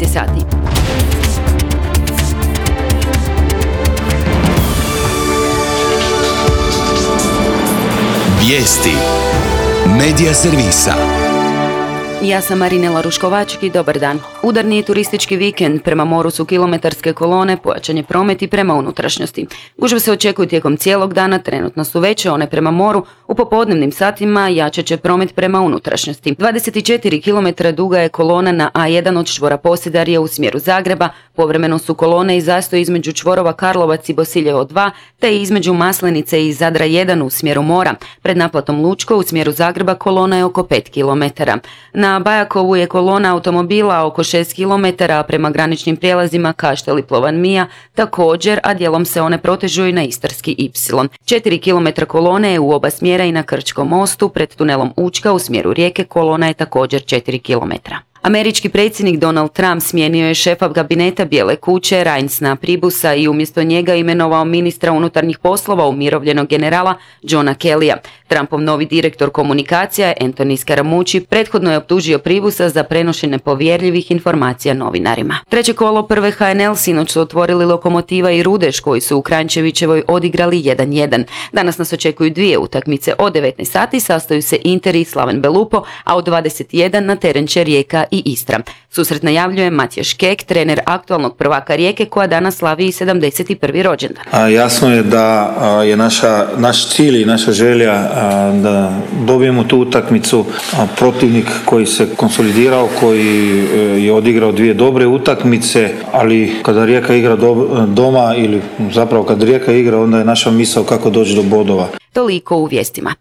je sati. Vijesti Medija servisa. Ja sam Marinela Ruškovačik i dobar dan. Udarni turistički vikend, prema moru su kilometarske kolone, pojačan je promet i prema unutrašnjosti. Gužve se očekuju tijekom cijelog dana, trenutno su veće one prema moru, u popodnevnim satima jačat će promet prema unutrašnjosti. 24 km duga je kolona na A1 od čvora Posedarje u smjeru Zagreba, povremeno su kolone i zastoj između čvorova Karlovac i Bosiljevo 2, te između Maslenice i Zadra 1 u smjeru mora. Pred naplatom Lučko u smjeru Zagreba kolona je oko 5 km. Na Bajakovu je kolona automobila oko 6 km, a prema graničnim prijelazima Kaštel i Plovan Mija također, a dijelom se one protežu i na Istarski Y. 4 km kolone je u oba smjera i na Krčkom mostu, pred tunelom Učka u smjeru Rijeke kolona je također 4 km. Američki predsjednik Donald Trump smijenio je šefa kabineta Bijele kuće Reinsna Pribusa i umjesto njega imenovao ministra unutarnjih poslova umirovljenog generala Johna Kellya. Trumpov novi direktor komunikacija Anthony Scaramucci prethodno je optužio Pribusa za prenošenje povjerljivih informacija novinarima. Treće kolo prve HNL sinoć su otvorili Lokomotiva i Rudeš koji su u Kranjčevićevoj odigrali 1-1. Danas nas očekuju dvije utakmice. Od 19 sati sastaju se Inter i Slaven Belupo, a od 21 na teren će Rijeka i Istra. Susret najavljuje Matija Škek, trener aktualnog prvaka Rijeke koja danas slavi 71. rođendan. Jasno je da je naš cilj i naša želja da dobijemo tu utakmicu. Protivnik koji se konsolidirao, koji je odigrao dvije dobre utakmice, ali kada Rijeka igra doma ili zapravo kad Rijeka igra, onda je naša misao kako doći do bodova. Toliko u vijestima.